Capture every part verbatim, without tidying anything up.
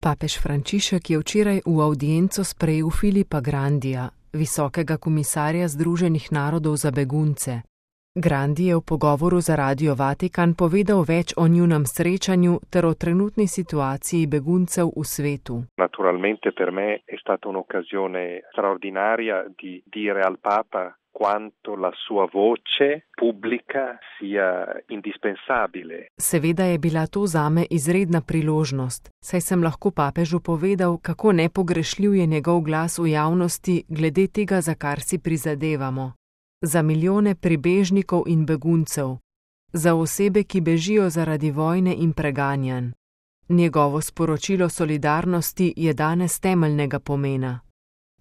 Papež Frančišek je včeraj v avdienco sprejel Filipa Grandija, visokega komisarja Združenih narodov za begunce. Grandi je v pogovoru za Radio Vatikan povedal več o njunem srečanju ter o trenutni situaciji beguncev v svetu. Naturalmente per me è stata un'occasione straordinaria di dire al Papa quanto la sua voce pubblica sia indispensabile. Seveda je bila to zame izredna priložnost, saj sem lahko papežu povedal, kako nepogrešljiv je njegov glas v javnosti glede tega, za kar si prizadevamo. Za milijone pribežnikov in beguncev, za osebe, ki bežijo zaradi vojne in preganjanj. Njegovo sporočilo solidarnosti je danes temeljnega pomena.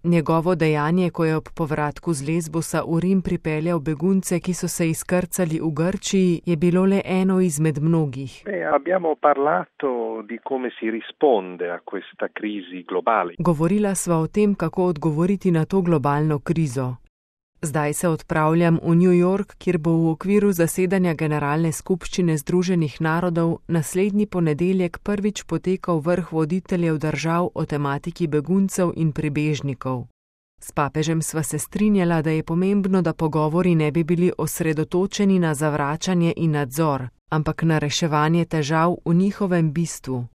Njegovo dejanje, ko je ob povratku z Lesbosa v Rim pripeljal begunce, ki so se izkrcali v Grčiji, je bilo le eno izmed mnogih. Beh, abbiamo parlato di come si risponde a questa crisi globale. Govorila sva o tem, kako odgovoriti na to globalno krizo. Zdaj se odpravljam v New York, kjer bo v okviru zasedanja Generalne skupščine Združenih narodov naslednji ponedeljek prvič potekal vrh voditeljev držav o tematiki beguncev in pribežnikov. S papežem sva se strinjala, da je pomembno, da pogovori ne bi bili osredotočeni na zavračanje in nadzor, ampak na reševanje težav v njihovem bistvu.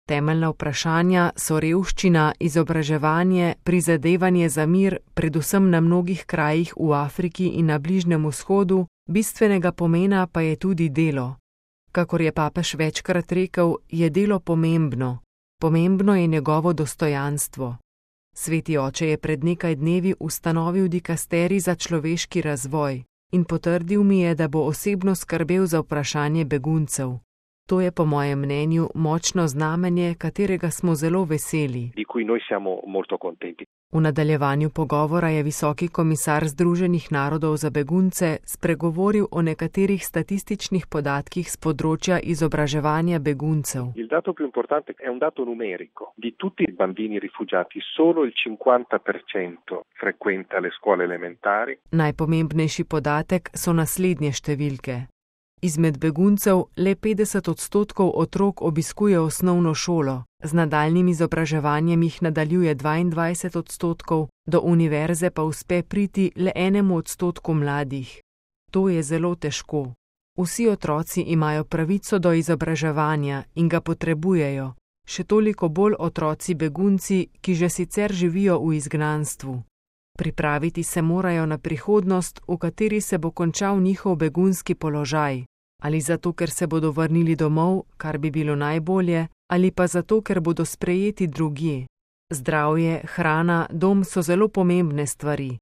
Temeljna vprašanja so revščina, izobraževanje, prizadevanje za mir, predvsem na mnogih krajih v Afriki in na Bližnjem vzhodu, bistvenega pomena pa je tudi delo. Kakor je papež večkrat rekel, je delo pomembno. Pomembno je njegovo dostojanstvo. Sveti oče je pred nekaj dnevi ustanovil dikasterij za človeški razvoj in potrdil mi je, da bo osebno skrbel za vprašanje beguncev. To je po mojem mnenju močno znamenje, katerega smo zelo veseli. Di cui noi siamo molto contenti. V nadaljevanju pogovora je visoki komisar Združenih narodov za begunce spregovoril o nekaterih statističnih podatkih z področja izobraževanja beguncev. Il dato più importante è un dato numerico. Di tutti i bambini rifugiati solo il cinquanta per cento frequenta le scuole elementari. Najpomembnejši podatek so naslednje številke. Izmed beguncev le petdeset odstotkov otrok obiskuje osnovno šolo, z nadaljnjim izobraževanjem jih nadaljuje dvaindvajset odstotkov, do univerze pa uspe priti le enemu odstotku mladih. To je zelo težko. Vsi otroci imajo pravico do izobraževanja in ga potrebujejo, še toliko bolj otroci begunci, ki že sicer živijo v izgnanstvu. Pripraviti se morajo na prihodnost, v kateri se bo končal njihov begunski položaj. Ali zato, ker se bodo vrnili domov, kar bi bilo najbolje, ali pa zato, ker bodo sprejeti drugje. Zdravje, hrana, dom so zelo pomembne stvari.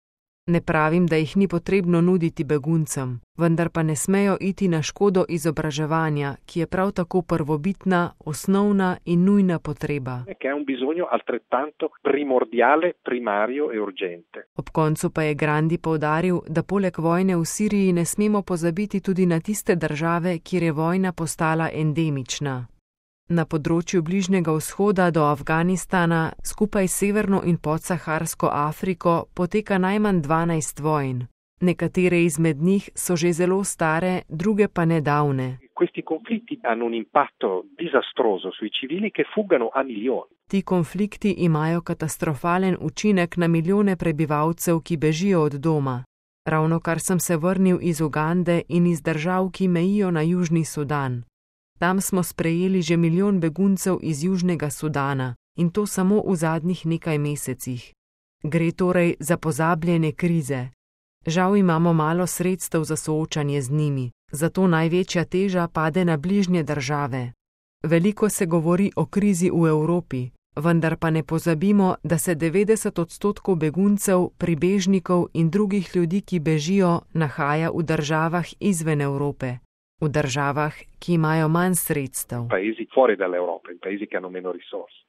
Ne pravim, da jih ni potrebno nuditi beguncem, vendar pa ne smejo iti na škodo izobraževanja, ki je prav tako prvobitna, osnovna in nujna potreba. Che è un bisogno altrettanto primordiale, primario e urgente. Ob koncu pa je Grandi poudaril, da poleg vojne v Siriji ne smemo pozabiti tudi na tiste države, kjer je vojna postala endemična. Na področju Bližnjega vzhoda do Afganistana, skupaj s severno in podsaharsko Afriko, poteka najmanj dvanajst vojn. Nekatere izmed njih so že zelo stare, druge pa nedavne. Questi conflitti hanno un impatto disastroso sui civili che fuggono a milioni. Ti konflikti imajo katastrofalen učinek na milijone prebivalcev, ki bežijo od doma. Ravnokar sem se vrnil iz Ugande in iz držav, ki mejijo na Južni Sudan. Tam smo sprejeli že milijon beguncev iz Južnega Sudana in to samo v zadnjih nekaj mesecih. Gre torej za pozabljene krize. Žal imamo malo sredstev za soočanje z njimi, zato največja teža pade na bližnje države. Veliko se govori o krizi v Evropi, vendar pa ne pozabimo, da se devetdeset odstotkov beguncev, pribežnikov in drugih ljudi, ki bežijo, nahaja v državah izven Evrope. V državah, ki imajo manj sredstev. Paesi fuori dall'Europa, in paesi che hanno meno risorse.